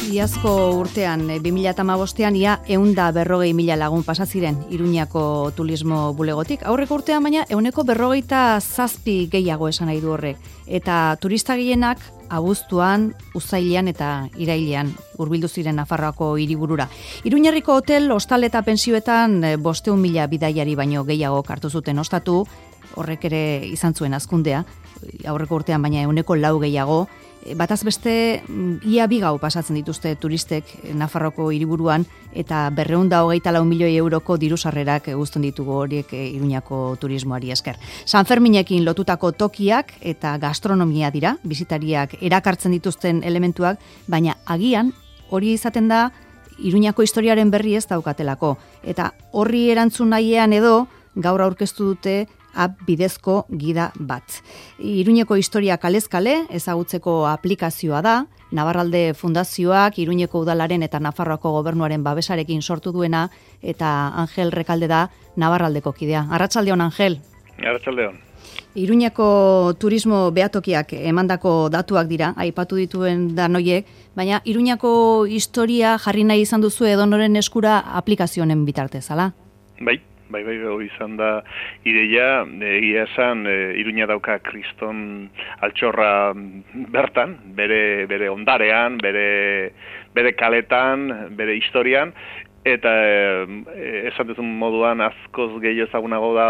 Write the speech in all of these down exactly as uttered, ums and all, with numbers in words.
Iazko urtean, bi mila hamabostean, ia ehunda berrogei mila lagun pasaziren Iruñako turismo bulegotik. Aurreko urtean baina, ehuneko berrogeita zazpi gehiago esan nahi du horrek. Eta turista gehienak abuztuan, uztailean eta irailean hurbildu ziren Nafarroako hiriburura. Iruñerriko hotel, hostal eta pentsioetan bosteun mila bidaiari baino gehiago hartu zuten ostatu, horrek ere izan zuen hazkundea, aurreko urtean baina ehuneko lau gehiago. Bataz beste, ia bi gau pasatzen dituzte turistek Nafarroko hiriburuan eta berrehun eta hogeita lau milioi euroko diru sarrerak uzten ditugu horiek Iruñako turismoari esker. Sanferminekin lotutako tokiak eta gastronomia dira, bisitariak erakartzen dituzten elementuak, baina agian hori izaten da Iruñako historiaren berri ez daukatelako. Eta horri erantzun nahiean edo gaur aurkeztu dute app bidezko gida bat. Iruñeko historia kalez kale ezagutzeko aplikazioa da, Navarralde Fundazioak Iruñeko udalaren eta Nafarroako gobernuaren babesarekin sortu duena, eta Angel Rekalde da Navarraldeko kidea. Arratsaldeon, Angel. Arratsaldeon. Iruñako turismo behatokiak emandako datuak dira, aipatu dituen danoiek, baina Iruñako historia jarri nahi izan duzu edonoren eskura aplikazioen bitartez, ala? Bai. Bai, bai, hori izan da ideia, egia esan, e, Iruña dauka kriston altxorra bertan, bere, bere ondarean, bere, bere kaletan, bere historian, eta e, esan duzun moduan askoz gehiago ezagunago da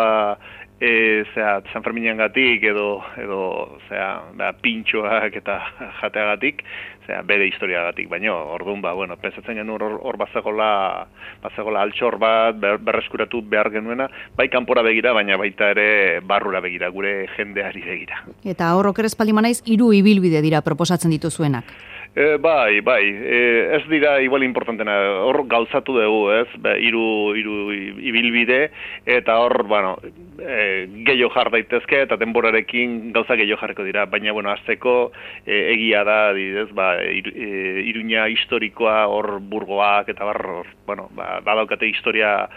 E, zera, San Ferminian gatik edo, edo zera, ba, pintxoak eta jateagatik, zera, bere historiagatik, baina orduan, ba, bueno, pensatzen genuen hor, hor bazegola, bazegola altxor bat, ber, berreskuratu behar genuena, bai kanpora begira, baina baita ere barrura begira, gure jendeari begira. Eta hor oker espaldi manaiz, hiru ibilbide dira proposatzen dituzuenak. E, bai, bai, e, ez dira igual importantena, hor gauzatu dugu, ez, ba, iru, iru ibilbide, eta hor, bueno, e, gehiago jar daitezke, eta denborarekin gauza gehiago jarriko dira, baina, bueno, azteko e, egia da, didez, ba, ir, e, Iruña historikoa, hor burgoak, eta bar, hor, bueno, ba, badaukate historia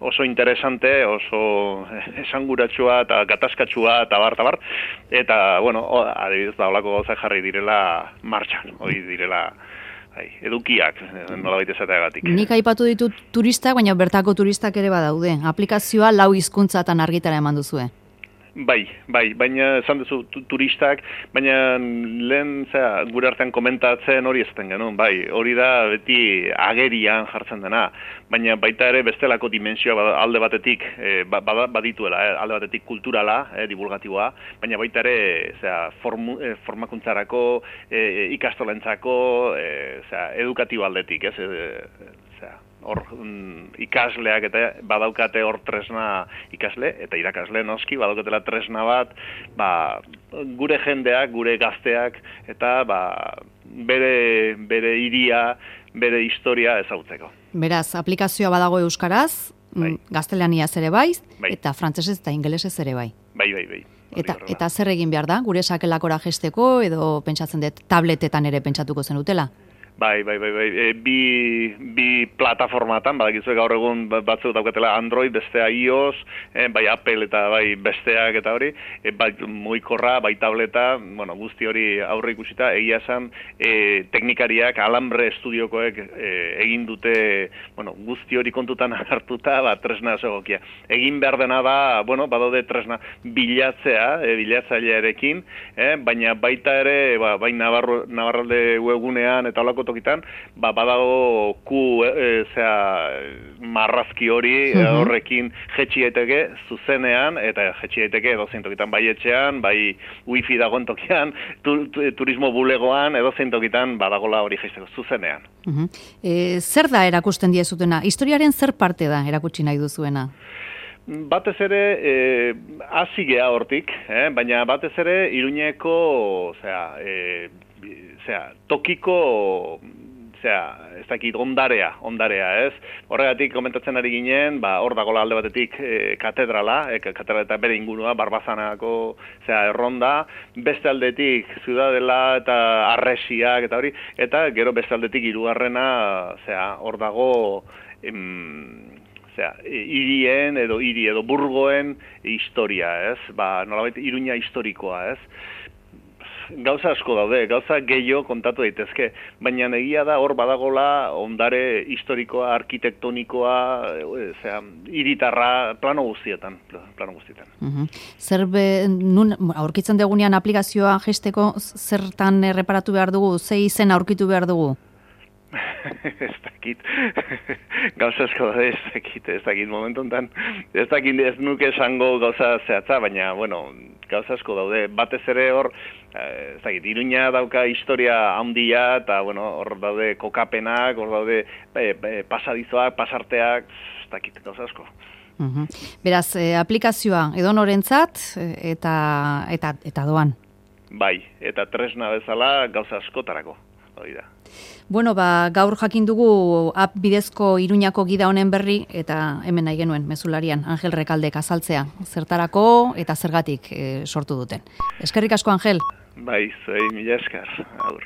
oso interesante, oso esanguratsua eta gatazkatsua eta bar, eta bar, eta, bueno, o, adibidez, da, holako gauza jarri direla martxan, hori direla ai, edukiak, nolabait esateagatik. Nik aipatu ditut turistak, baina bertako turistak ere badaude. Aplikazioa lau hizkuntzatan argitara eman duzue. Bai, bai, baina esan duzu turistak, baina lehen zera, gure artean komentatzen hori ezaten genuen, bai, hori da beti agerian jartzen dena, baina baita ere bestelako dimensioa alde batetik e, badituela, eh, alde batetik kulturala, eh, divulgatiboa, baina baita ere zera, formu, eh, formakuntzarako, eh, ikastolentzako, eh, zera, edukatibo aldetik, ez, eh, zera, hor mm, ikasleak eta badaukate hor tresna ikasle eta irakasle noski badaukatela tresna bat, ba, gure jendeak, gure gazteak eta ba, bere bere hiria, bere historia ezagutzeko. Beraz, aplikazioa badago euskaraz, bai. Gaztelaniaz ere bai, bai, eta frantsesez eta ingelesez ere bai. Bai, bai, bai. Eta, eta zer egin behar da? Gure sakelakora jesteko edo pentsatzen dut tabletetan ere pentsatuko zenutela? Bai, bai, bai, bai. E, bi, bi plataformatan, badakizue gaur egun batzuk daukatela Android, bestea iOS, e, bai Apple eta bai besteak eta hori, e, bai mugikorra, bai tableta, bueno, guzti hori aurre ikusita, egia esan, e, teknikariak, Alambre Estudiokoek e, egin dute, bueno, guzti hori kontutan hartuta, ba, tresna oso egokia. Egin behar dena da, bueno, badaude tresna bilatzea, e, bilatzailearekin, e, baina baita ere, ba, bai Navarro, Navarralde webgunean eta holako tokitan, ba, badago ku, e, zera, marrazki hori, uh -huh. horrekin jetxi daiteke zuzenean, eta jetxi daiteke edozein tokitan, bai etxean, bai wifi dagoen tokian, tu, tu, turismo bulegoan, edozein tokitan badagola hori jaisteko zuzenean. Uh -huh. e, zer da erakusten diezutena? Historiaren zer parte da erakutsi nahi duzuena? Batez ere, e, hasi gea hortik, eh? baina batez ere Iruñeko, osea, e, Zera, tokiko, zera, ez dakit, ondarea, ondarea, ez? Horregatik komentatzen ari ginen, ba, hor dagoela alde batetik e, katedrala, e, katedrala eta bere ingurua, Barbazanako, zera, erronda, beste aldetik, Ziudadela eta Arresiak eta hori, eta gero beste aldetik hirugarrena, zera, hor dago, em, zera, hirien edo hiri edo burgoen historia, ez? Ba, nolabait Iruña historikoa, ez? gauza asko daude, gauza gehiago kontatu daitezke, baina egia da hor badagola ondare historikoa, arkitektonikoa, osea, hiritarra plano guztietan, plano guztietan. Uh-huh. Zer be, nun aurkitzen degunean aplikazioa jesteko zertan erreparatu behar dugu, ze izen aurkitu behar dugu? ez dakit, gauza asko da, ez dakit, ez dakit momentu enten, ez dakit ez nuke esango gauza zehatza, baina, bueno, gauza asko daude, batez ere hor, ez dakit, Iruña dauka historia handia, eta, bueno, hor daude kokapenak, hor daude e, e, pasadizoak, pasarteak, ez dakit, gauza asko. Uhum. Beraz, e, aplikazioa edonorentzat eta, eta, eta doan. Bai, eta tresna bezala gauza askotarako, hori da. Bueno, ba, gaur jakin dugu app bidezko Iruñako gida honen berri eta hemen nahi genuen mezularian Angel Rekaldek azaltzea zertarako eta zergatik e, sortu duten. Eskerrik asko, Angel. Bai, zuei mila esker. Agur.